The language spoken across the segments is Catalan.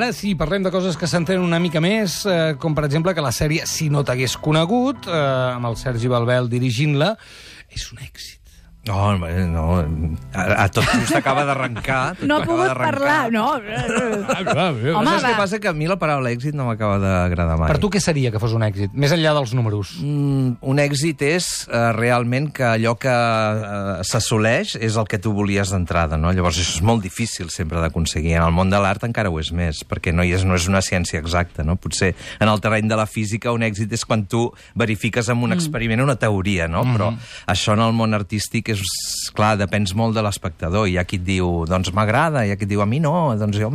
Ara sí, parlem de coses que s'entenen una mica més, com per exemple que la sèrie Si no t'hagués conegut, amb el Sergi Balbel dirigint-la, és un èxit. No, a tot just acaba d'arrencar. No ha pogut parlar, no. Home, saps què passa? Que a mi la paraula èxit no m'acaba d'agradar mai. Per tu què seria que fos un èxit, més enllà dels números? Un èxit és realment que allò que s'assoleix és el que tu volies d'entrada, no? Llavors això és molt difícil sempre d'aconseguir. En el món de l'art encara ho és més, perquè no és una ciència exacta, no? Potser en el terreny de la física un èxit és quan tu verifiques amb un experiment una teoria, no? Però això en el món artístic és, clar, depèn molt de l'espectador. Hi ha qui et diu, doncs m'agrada, hi ha qui et diu, a mi no, doncs jo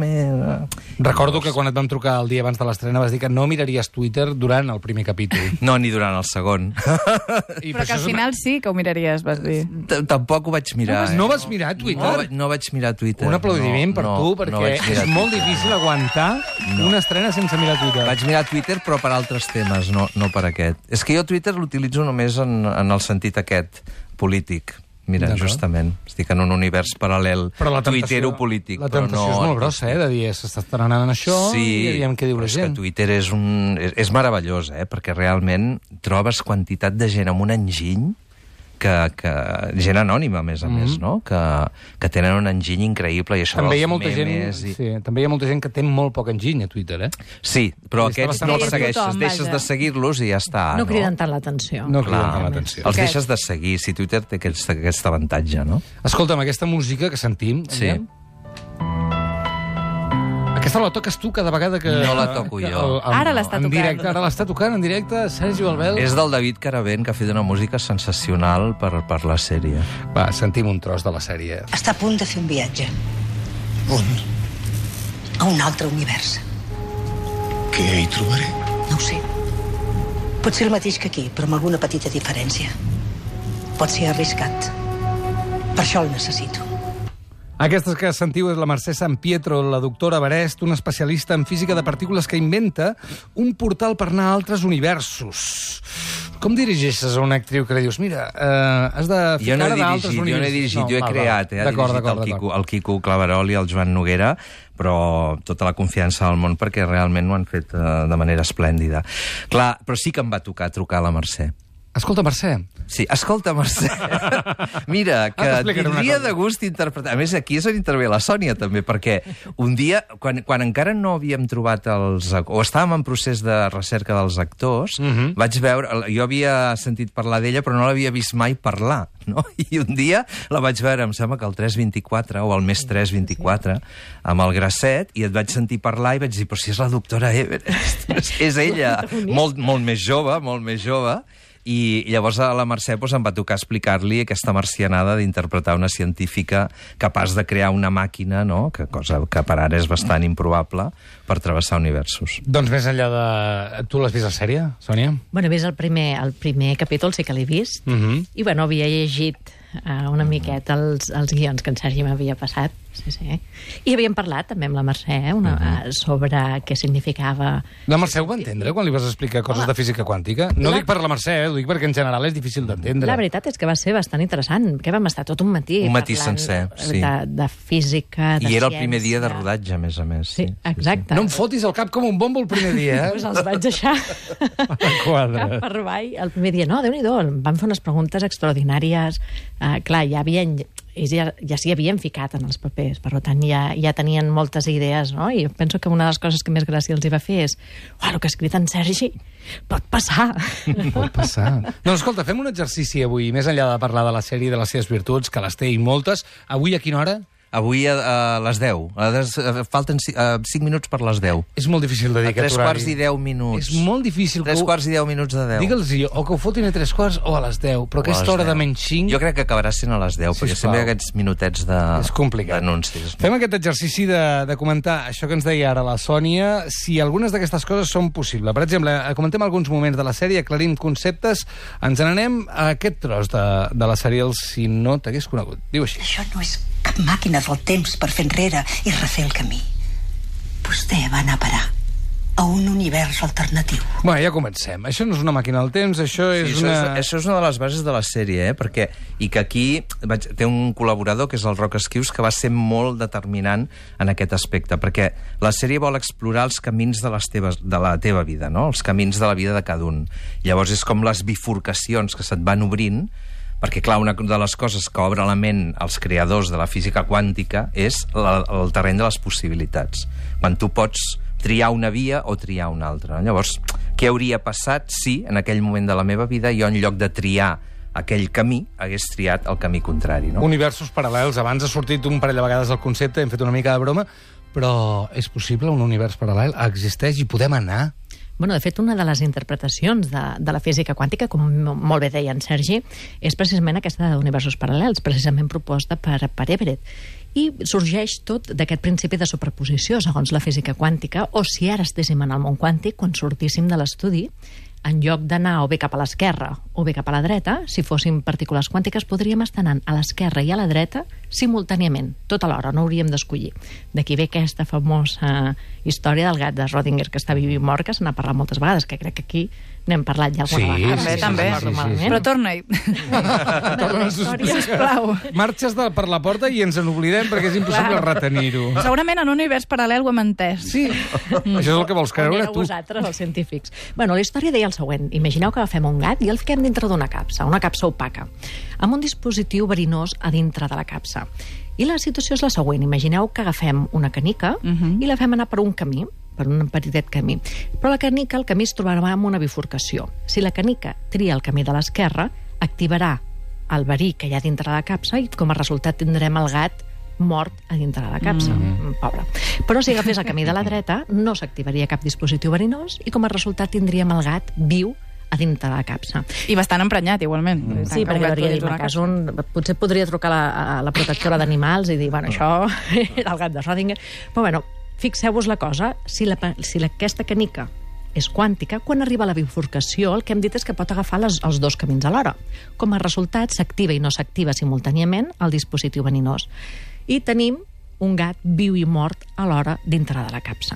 Recordo que quan et vam trucar el dia abans de l'estrena vas dir que no miraries Twitter durant el primer capítol. No, ni durant el segon. Però que al final sí que ho miraries, vas dir. Tampoc ho vaig mirar. No vas mirar Twitter? No vaig mirar Twitter. Un aplaudiment per tu, perquè és molt difícil aguantar una estrena sense mirar Twitter. Vaig mirar Twitter, però per altres temes, no per aquest. És que jo Twitter l'utilitzo només en el sentit aquest, polític. Mira, justament, estic en un univers paral·lel tuitero-polític. La temptació és molt grossa, de dir, s'està estrenant això i aviam què diu la gent. Sí, Twitter és meravellós, perquè realment trobes quantitat de gent amb un enginy, gent anònima, a més, no? Que tenen un enginy increïble, i això també dels memes... També hi ha molta gent que té molt poc enginy a Twitter, Sí, però aquests no els segueixes, deixes de seguir-los i ja està. No criden tant l'atenció. No criden tant l'atenció. Els deixes de seguir, si Twitter té aquest avantatge, no? Escolta'm, aquesta música que sentim... Sí. Aquesta la toques tu cada vegada que... No la toco jo. Ara l'està tocant. Ara l'està tocant en directe Sergi Balbel. És del David Caravent, que ha fet una música sensacional per la sèrie. Va, sentim un tros de la sèrie. Està a punt de fer un viatge. On? A un altre univers. Què hi trobaré? No ho sé. Pot ser el mateix que aquí, però amb alguna petita diferència. Pot ser arriscat. Per això el necessito. Aquestes que sentiu és la Mercè San Pietro, la doctora Berest, una especialista en física de partícules que inventa un portal per anar a altres universos. Com dirigeixes a una actriu que li dius, mira, has de ficar d'altres universos? Jo no he dirigit, jo he creat, ha dirigit el Quico Claverol i el Joan Noguera, però tota la confiança del món perquè realment ho han fet de manera esplèndida. Clar, però sí que em va tocar trucar a la Mercè. Escolta, Mercè. Sí, escolta, Mercè. Mira, que tindria de gust interpretar... A més, aquí és on intervé la Sònia, també, perquè un dia, quan encara no havíem trobat o estàvem en procés de recerca dels actors, vaig veure... Jo havia sentit parlar d'ella, però no l'havia vist mai parlar, no? I un dia la vaig veure, em sembla que al 324, o al mes 324, amb el Grasset, i et vaig sentir parlar i vaig dir, però si és la doctora Everest. És ella, molt més jove, i llavors a la Mercè em va tocar explicar-li aquesta marcianada d'interpretar una científica capaç de crear una màquina, no? Cosa que per ara és bastant improbable, per travessar universos. Doncs més enllà de... Tu l'has vist la sèrie, Sònia? Bueno, he vist el primer capítol, sí que l'he vist, i bueno, havia llegit una miqueta els guions que en Sergi m'havia passat, sí. I havíem parlat també amb la Mercè sobre què significava... La Mercè ho va entendre quan li vas explicar coses de física quàntica? No dic per la Mercè, ho dic perquè en general és difícil d'entendre. La veritat és que va ser bastant interessant, que vam estar tot un matí sencer, sí. De física, de ciència... I era el primer dia de rodatge, a més. Sí, exacte. No em fotis el cap com un bombo el primer dia, Doncs els vaig deixar cap per avall el primer dia. No, Déu-n'hi-do, vam fer unes preguntes extraordinàries. Clar, ja s'hi havien ficat en els papers, per tant ja tenien moltes idees, no? I penso que una de les coses que més gràcia els hi va fer és el que ha escrit en Sergi pot passar. Pot passar. No, escolta, fem un exercici avui, més enllà de parlar de la sèrie i de les seves virtuts, que les té i moltes. Avui a quina hora? Avui a les 10. Falten 5 minuts per les 10. És molt difícil de dir aquest horari. A 3:10. És molt difícil. 3:10 de 10. Digue'ls o que ho fotin a 3:15 o a les 10, però aquesta hora de menys 5... Jo crec que acabarà sent a les 10, perquè sempre hi ha aquests minutets d'anuncis. Fem aquest exercici de comentar això que ens deia ara la Sònia, si algunes d'aquestes coses són possibles. Per exemple, comentem alguns moments de la sèrie, aclarim conceptes, ens n'anem a aquest tros de la sèrie, el Si no t'hagués conegut. Diu així. Això no és cap màquina del temps per fer enrere i refer el camí. Vostè va anar a parar a un univers alternatiu. Bé, ja comencem. Això no és una màquina del temps, això és Això és una de les bases de la sèrie, perquè... I que aquí té un col·laborador, que és el Roc Esquius, que va ser molt determinant en aquest aspecte, perquè la sèrie vol explorar els camins de la teva vida, no? Els camins de la vida de cada un. Llavors és com les bifurcacions que se't van obrint, perquè, clar, una de les coses que obre la ment als creadors de la física quàntica és el terreny de les possibilitats. Quan tu pots triar una via o triar una altra. Llavors, què hauria passat si, en aquell moment de la meva vida, jo, en lloc de triar aquell camí, hagués triat el camí contrari, no? Universos paral·lels. Abans ha sortit un parell de vegades el concepte, hem fet una mica de broma, però és possible un univers paral·lel? Existeix i podem anar? Bueno, de fet, una de les interpretacions de la física quàntica, com molt bé deia en Sergi, és precisament aquesta d'universos paral·lels, precisament proposta per Everett. I sorgeix tot d'aquest principi de superposició, segons la física quàntica, o si ara estéssim en el món quàntic, quan sortíssim de l'estudi, en lloc d'anar o bé cap a l'esquerra o bé cap a la dreta, si fóssim partícules quàntiques, podríem estar anant a l'esquerra i a la dreta simultàniament, tot alhora, no hauríem d'escollir. D'aquí ve aquesta famosa història del gat de Schrödinger, que està viu i mort, que se n'ha parlat moltes vegades, que crec que aquí n'hem parlat ja alguna vegada. També. Però torna-hi. Sisplau. Marxes per la porta i ens n'oblidem perquè és impossible retenir-ho. Segurament en un univers paral·lel ho hem entès. Sí. Això és el que vols creure tu. Vosaltres, els científics. Bueno, la història deia el següent. Imagineu que agafem un gat i el fiquem dintre d'una capsa opaca, amb un dispositiu verinós a dintre de la capsa. I la situació és la següent. Imagineu que agafem una canica i la fem anar per un camí, per un petitet camí. Però la canica, el camí es trobarà amb una bifurcació. Si la canica tria el camí de l'esquerra, activarà el verí que hi ha dintre de la capsa i com a resultat tindrem el gat mort a dintre de la capsa. Pobre. Però si agafés el camí de la dreta, no s'activaria cap dispositiu verinós i com a resultat tindríem el gat viu a dintre de la capsa. I bastant emprenyat, igualment. Sí, perquè hauria dit, potser podria trucar a la protectora d'animals i dir, bueno, això era el gat de Schrödinger. Però bueno, fixeu-vos la cosa, si aquesta canica és quàntica, quan arriba a la bifurcació, el que hem dit és que pot agafar els dos camins alhora. Com a resultat, s'activa i no s'activa simultàniament el dispositiu verinós. I tenim un gat viu i mort alhora dintre de la capsa.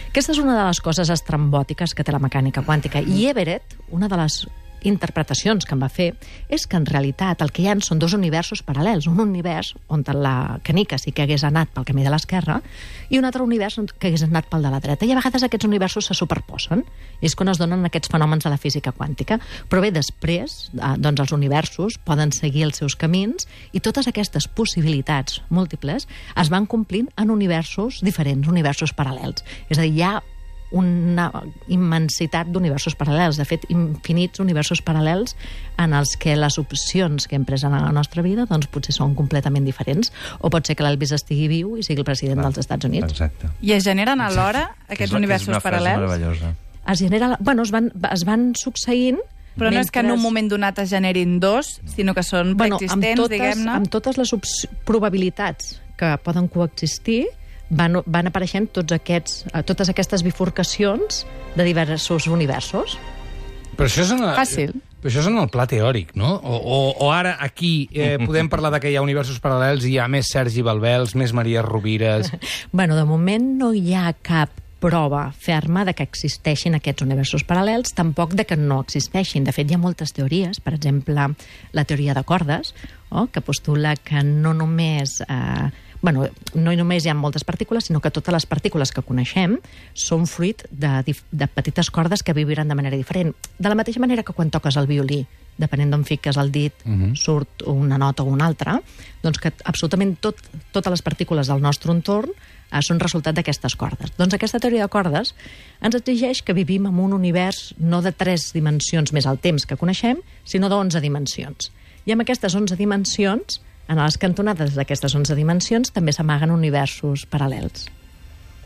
Aquesta és una de les coses estrambòtiques que té la mecànica quàntica. I Everett, una de les interpretacions que em va fer, és que en realitat el que hi ha són dos universos paral·lels. Un univers on la canica sí que hagués anat pel camí de l'esquerra i un altre univers que hagués anat pel de la dreta. I a vegades aquests universos se superposen. I és quan es donen aquests fenòmens de la física quàntica. Però bé, després, doncs els universos poden seguir els seus camins i totes aquestes possibilitats múltiples es van complint en universos diferents, universos paral·lels. És a dir, hi ha una immensitat d'universos paral·lels, de fet, infinits universos paral·lels en els que les opcions que hem pres en la nostra vida doncs potser són completament diferents, o pot ser que l'Elvis estigui viu i sigui el president dels Estats Units. Exacte. I es generen alhora aquests universos paral·lels? És es van succeint. Però no és que en un moment donat es generin dos, sinó que són preexistents, diguem-ne? Amb totes les probabilitats que poden coexistir, van apareixent totes aquestes bifurcacions de diversos universos. Però això és fàcil. Però això és en el pla teòric, no? O ara aquí podem parlar de que hi ha universos paral·lels i hi ha més Sergi Balbels, més Maria Rovires... Bueno, de moment no hi ha cap prova ferma de que existeixin aquests universos paral·lels, tampoc de que no existeixin. De fet, hi ha moltes teories, per exemple, la teoria de cordes, que postula que no només hi ha moltes partícules, sinó que totes les partícules que coneixem són fruit de petites cordes que viviran de manera diferent. De la mateixa manera que quan toques el violí, depenent d'on fiques el dit, surt una nota o una altra, doncs que absolutament totes les partícules del nostre entorn són resultat d'aquestes cordes. Doncs aquesta teoria de cordes ens exigeix que vivim en un univers no de 3 dimensions més el temps que coneixem, sinó de 11 dimensions. I amb aquestes 11 dimensions, en les cantonades d'aquestes 11 dimensions, també s'amaguen universos paral·lels.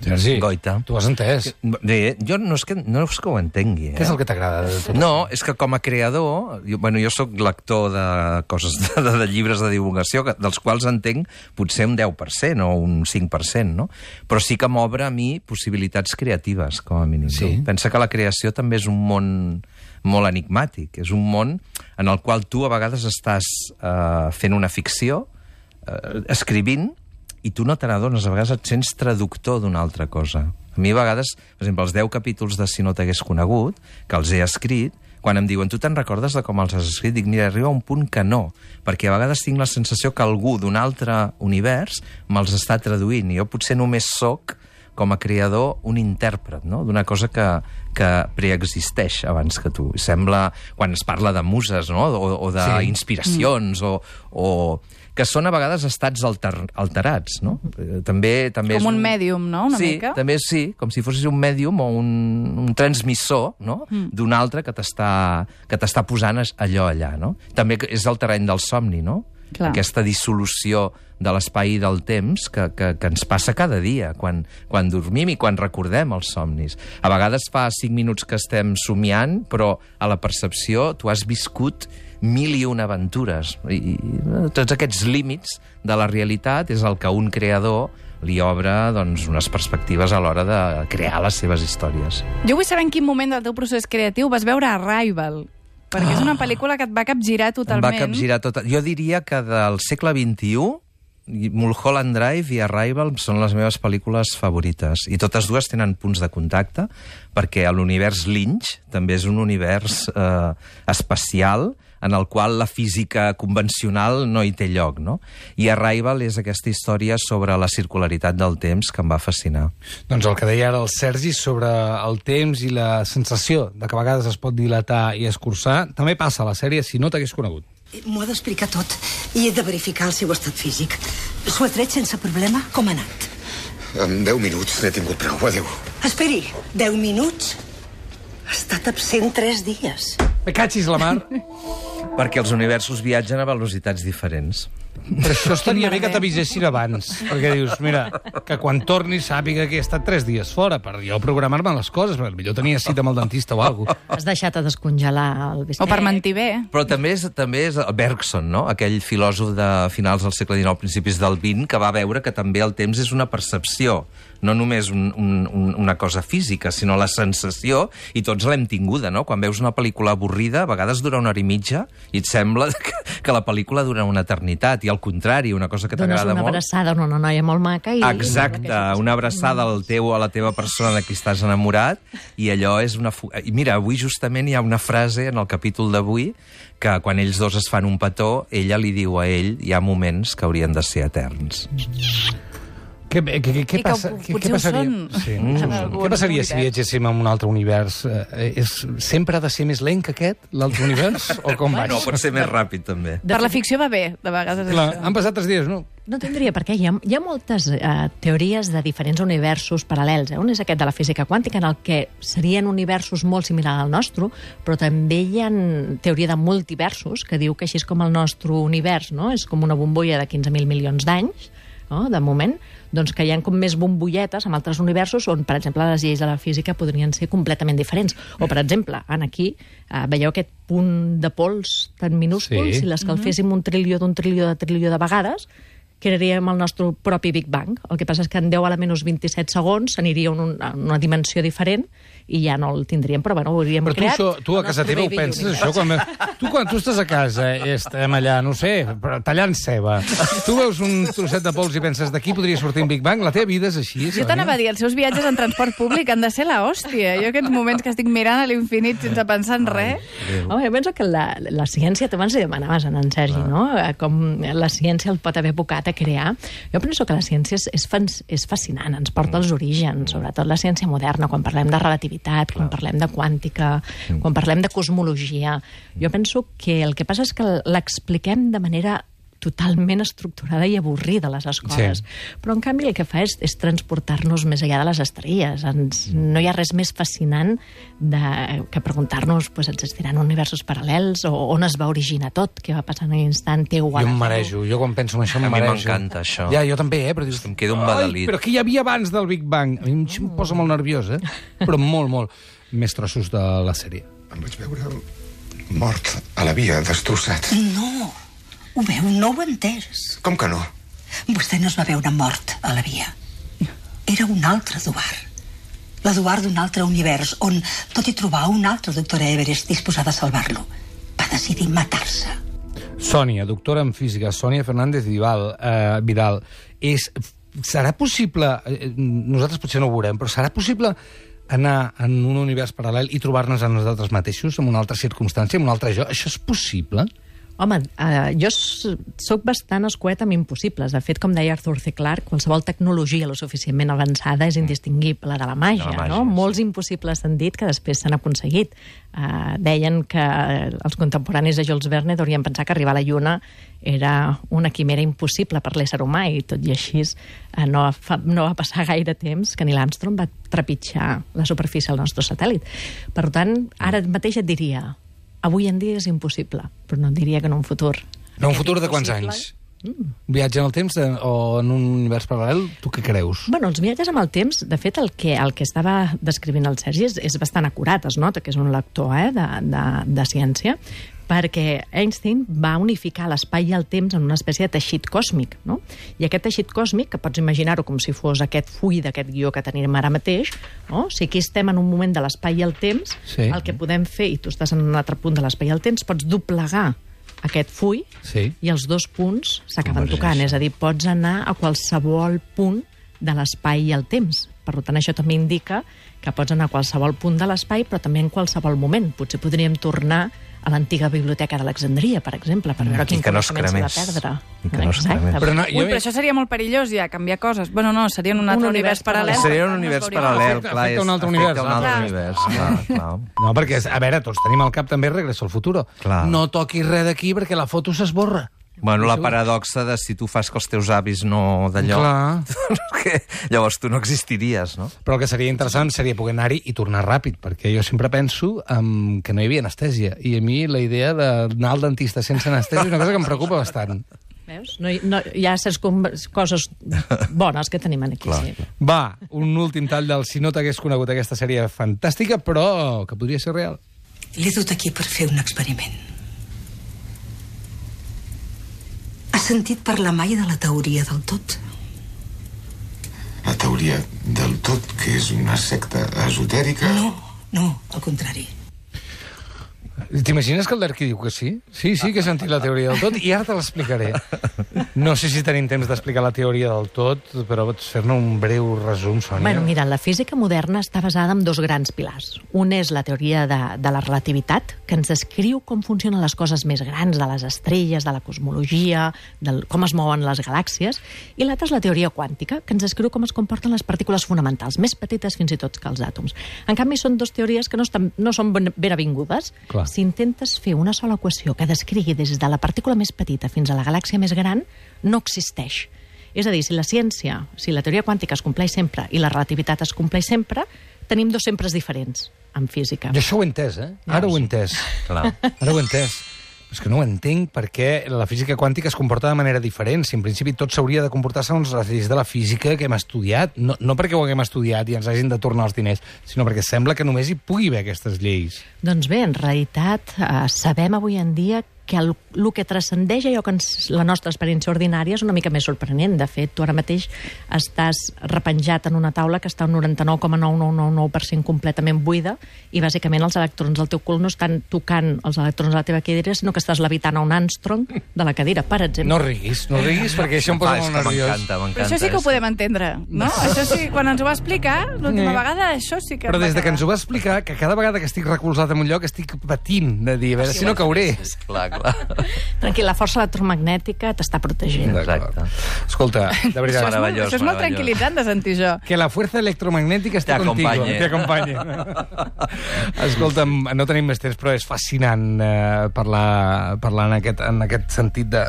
Sergi, Goita. Tu has entès. Jo no és que ho entengui. Què és el que t'agrada de tot? No, és que com a creador, jo soc lector de coses, de llibres de divulgació, dels quals entenc potser un 10% o un 5%, no? Però sí que m'obre a mi possibilitats creatives, com a mínim. Sí. Pensa que la creació també és un món molt enigmàtic. És un món en el qual tu a vegades estàs fent una ficció, escrivint, i tu no te n'adones, a vegades et sents traductor d'una altra cosa. A mi a vegades, per exemple, els 10 capítols de Si no t'hagués conegut, que els he escrit, quan em diuen, tu te'n recordes de com els has escrit? Dic, mira, arriba un punt que no, perquè a vegades tinc la sensació que algú d'un altre univers me'ls està traduint, i jo potser només soc, com a creador, un intèrpret, no?, d'una cosa que preexisteix abans que tu. Sembla, quan es parla de muses, no?, o d'inspiracions, o que són a vegades estats alterats, no? També com un mèdium, no?, una mica? També sí, com si fossis un mèdium o un transmissor, no?, d'un altre que t'està posant allò allà, no? També és el terreny del somni, no? Clar. Aquesta dissolució de l'espai i del temps que ens passa cada dia, quan dormim i quan recordem els somnis. A vegades fa 5 minuts que estem somiant, però a la percepció tu has viscut 1001 aventures. I tots aquests límits de la realitat és el que un creador li obre, doncs, unes perspectives a l'hora de crear les seves històries. Jo vull saber en quin moment del teu procés creatiu vas veure Arrival, perquè és una pel·lícula que et va capgirar totalment. Em va capgirar totalment. Jo diria que del segle XXI, Mulholland Drive i Arrival són les meves pel·lícules favorites. I totes dues tenen punts de contacte, perquè l'univers Lynch també és un univers espacial en el qual la física convencional no hi té lloc, no? I Arrival és aquesta història sobre la circularitat del temps que em va fascinar. Doncs el que deia ara el Sergi sobre el temps i la sensació de que a vegades es pot dilatar i escurçar, també passa a la sèrie Si no t'hagués conegut. M'ho ha d'explicar tot i he de verificar el seu estat físic. S'ho ha tret sense problema? Com ha anat? En 10 minuts n'he tingut prou. Adéu. Esperi, 10 minuts? Ha estat absent 3 dies. Me catxis la mar. Perquè els universos viatgen a velocitats diferents. Per això estaria bé que t'avisessin abans, perquè dius, mira, que quan torni sàpiga que he estat 3 dies fora, per jo programar-me les coses, perquè millor tenia cita amb el dentista o alguna cosa. Has deixat a descongelar el bistec. O per mentir bé. Però també és Bergson, no?, aquell filòsof de finals del segle XIX, principis del XX, que va veure que també el temps és una percepció, no només una cosa física, sinó la sensació, i tots l'hem tinguda, no? Quan veus una pel·lícula avorrida, a vegades dura 1 hora i mitja, i et sembla que la pel·lícula dura una eternitat, i al contrari, una cosa que t'agrada molt... Dones una abraçada a una noia molt maca i... Exacte, una abraçada a la teva persona de qui estàs enamorat, i allò és una... I mira, avui justament hi ha una frase en el capítol d'avui que quan ells dos es fan un petó, ella li diu a ell, hi ha moments que haurien de ser eterns. Què passaria? Sí. Què passaria si viatgéssim a un altre univers? Sempre ha de ser més lent que aquest, l'altre univers? O com va? No, pot ser més ràpid, també. Per la ficció va bé, de vegades. Clar, han passat 3 dies, no? No tindria per què. Hi ha moltes teories de diferents universos paral·lels. Un és aquest de la física quàntica, en el que serien universos molt similars al nostre, però també hi ha teoria de multiversos, que diu que així és com el nostre univers, no? És com una bombolla de 15.000 milions d'anys, no? De moment, doncs que hi ha com més bombolletes en altres universos on, per exemple, les lleis de la física podrien ser completament diferents. O, per exemple, aquí veieu aquest punt de pols tan minúscul, si l'escalféssim un trilió de vegades, crearíem el nostre propi Big Bang. El que passa és que en 10 a la menys 27 segons aniria a una dimensió diferent i ja no el tindríem, però bueno, ho hauríem creat. Però tu a casa teva ho penses, això? Quan tu estàs a casa, estem allà, no sé, tallant ceba, tu veus un trosset de pols i penses d'aquí podria sortir un Big Bang? La teva vida és així, Jo t'anava a dir, els seus viatges en transport públic han de ser l'hòstia. Jo aquests moments que estic mirant a l'infinit sense pensar en res... Home, jo penso que la ciència, tu abans li demanaves a en Sergi, no? Com la ciència el pot haver abocat a crear. Jo penso que la ciència és fascinant, ens porta als orígens, sobretot la ciència moderna, quan parlem de relativitat, quan parlem de quàntica, quan parlem de cosmologia. Jo penso que el que passa és que l'expliquem de manera totalment estructurada i avorrida a les escoles. Però, en canvi, el que fa és transportar-nos més enllà de les estrelles. No hi ha res més fascinant que preguntar-nos existiran universos paral·lels o on es va originar tot, què va passar en l'instant teu. Jo em marejo. Jo quan penso en això em marejo. A mi m'encanta això. Ja, jo també, però dius... Em queda un badalit. Però què hi havia abans del Big Bang? A mi em posa molt nerviós, Però molt, molt. Més trossos de la sèrie. Em vaig veure mort a la via, destrossat. No, ho veu, no ho he entès. Com que no? Vostè no es va veure mort a la via. Era un altre Eduard. L'Eduard d'un altre univers, on, tot i trobar un altre doctora Everest disposada a salvar-lo, va decidir matar-se. Sònia, doctora en física, Sònia Fernández Vidal, és serà possible, nosaltres potser no ho veurem, però serà possible anar en un univers paral·lel i trobar-nos a nosaltres mateixos, en una altra circumstància, en un altre jo? Això és possible? Home, jo sóc bastant escuet amb impossibles. De fet, com deia Arthur C. Clarke, qualsevol tecnologia lo suficientment avançada és indistingible de la màgia, no? Molts impossibles s'han dit que després s'han aconseguit. Deien que els contemporanis de Jules Verne haurien pensar que arribar a la Lluna era una quimera impossible per l'ésser humà, i tot i així no va passar gaire temps que Neil Armstrong va trepitjar la superfície del nostre satèl·lit. Per tant, ara mateix et diria, avui en dia és impossible, però no et diria que en un futur. En un futur de quants anys? Viatge en el temps o en un univers paral·lel? Tu què creus? Bueno, els viatges amb el temps, de fet, el que estava descrivint el Sergi és bastant acurat. Es nota que és un lector de ciència, perquè Einstein va unificar l'espai i el temps en una espècie de teixit còsmic, no? I aquest teixit còsmic, que pots imaginar-ho com si fos aquest full d'aquest guió que tenim ara mateix, no? Si aquí estem en un moment de l'espai i el temps, sí, el que podem fer, i tu estàs en un altre punt de l'espai i el temps, pots doblegar aquest full, sí, i els dos punts s'acaben tocant. És a dir, pots anar a qualsevol punt de l'espai i el temps. Per tant, això també indica que pots anar a qualsevol punt de l'espai, però també en qualsevol moment. Potser podríem tornar a l'antiga biblioteca d'Alexandria, per exemple, per veure quin coneixement s'ha de perdre. Exacte. Però això seria molt perillós, ja, canviar coses. Bueno, no, seria un altre univers paral·lel. Seria un univers paral·lel, clar. Afecta un altre univers. Clar. No, perquè, a veure, tots tenim al cap també Regreso al futuro. Clar. No toquis res d'aquí perquè la foto s'esborra. Bueno, la paradoxa de si tu fas que els teus avis no d'allò... Clar. Llavors tu no existiries, no? Però el que seria interessant seria poder anar-hi i tornar ràpid, perquè jo sempre penso que no hi havia anestèsia. I a mi la idea d'anar al dentista sense anestèsia és una cosa que em preocupa bastant. Veus? Hi ha certes coses bones que tenim aquí. Sí. Va, un últim tall del si no t'hagués conegut aquesta sèrie fantàstica, però que podria ser real. L'he dut aquí per fer un experiment. Has sentit parlar mai de la teoria del tot? La teoria del tot, que és una secta esotèrica? No, al contrari. T'imagines que el Lerqui diu que sí? Sí, que he sentit la teoria del tot i ara te l'explicaré. No sé si tenim temps d'explicar la teoria del tot, però pots fer-ne un breu resum, Sònia? Bueno, mira, la física moderna està basada en dos grans pilars. Un és la teoria de la relativitat, que ens descriu com funcionen les coses més grans, de les estrelles, de la cosmologia, com es mouen les galàxies, i l'altra és la teoria quàntica, que ens descriu com es comporten les partícules fonamentals, més petites fins i tot que els àtoms. En canvi, són dues teories que no són ben avingudes. Clar. Si intentes fer una sola equació que descrigui des de la partícula més petita fins a la galàxia més gran, no existeix. És a dir, si la teoria quàntica es compleix sempre i la relativitat es compleix sempre, tenim dos sempres diferents en física. Jo això ho he entès, Ara ho he entès. Clar. Ara ho he entès. És que no ho entenc perquè la física quàntica es comporta de manera diferent. Si en principi tot s'hauria de comportar segons les lleis de la física que hem estudiat. No perquè ho haguem estudiat i ens hagin de tornar els diners, sinó perquè sembla que només hi pugui haver aquestes lleis. Doncs bé, en realitat sabem avui en dia que el que transcendeix allò que la nostra experiència ordinària és una mica més sorprenent. De fet, tu ara mateix estàs repenjat en una taula que està un 99,9999% completament buida i bàsicament els electrons del teu cul no estan tocant els electrons de la teva cadira, sinó que estàs levitant a un Armstrong de la cadira, per exemple. No riguis perquè això em posa molt nerviós. Però això sí que ho podem entendre, no? Això sí, quan ens ho va explicar l'última vegada, això sí que... Però des que ens ho va explicar, que cada vegada que estic recolzat en un lloc estic patint de dir, a veure si no cauré. Clar. Tranquil, la força electromagnètica t'està protegint. Exacte. Escolta, de veritat... Això és molt tranquil·litzant de sentir jo. Que la fuerza electromagnètica esté contigo. T'acompanye. Escolta'm, no tenim més temps, però és fascinant parlar en aquest sentit de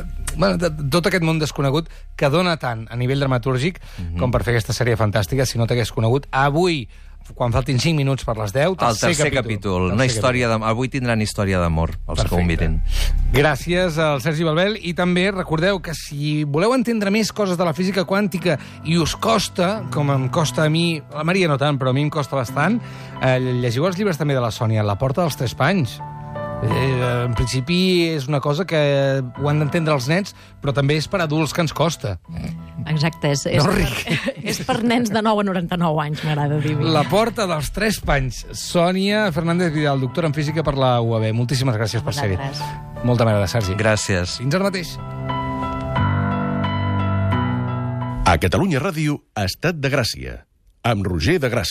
tot aquest món desconegut que dona tant a nivell dramatúrgic com per fer aquesta sèrie fantàstica. Si no t'hagués conegut, avui, quan faltin 5 minuts per les 10, el tercer capítol. Una història avui tindran història d'amor, els que ho mirin. Gràcies al Sergi Balbel, i també recordeu que si voleu entendre més coses de la física quàntica i us costa, com em costa a mi, a la Maria no tant, però a mi em costa bastant, llegiu els llibres també de la Sònia, La porta dels 3 panys. En principi és una cosa que ho han d'entendre els nens, però també és per adults que ens costa. Exacte, és per nens de 9 a 99 anys, m'agrada dir. La porta dels 3 panys. Sònia Fernández Vidal, doctora en física per la UAB. Moltíssimes gràcies per ser-hi. Molta m'agrada, Sergi. Gràcies. Fins ara mateix. A Catalunya Ràdio, Estat de Gràcia, amb Roger de Gràcia.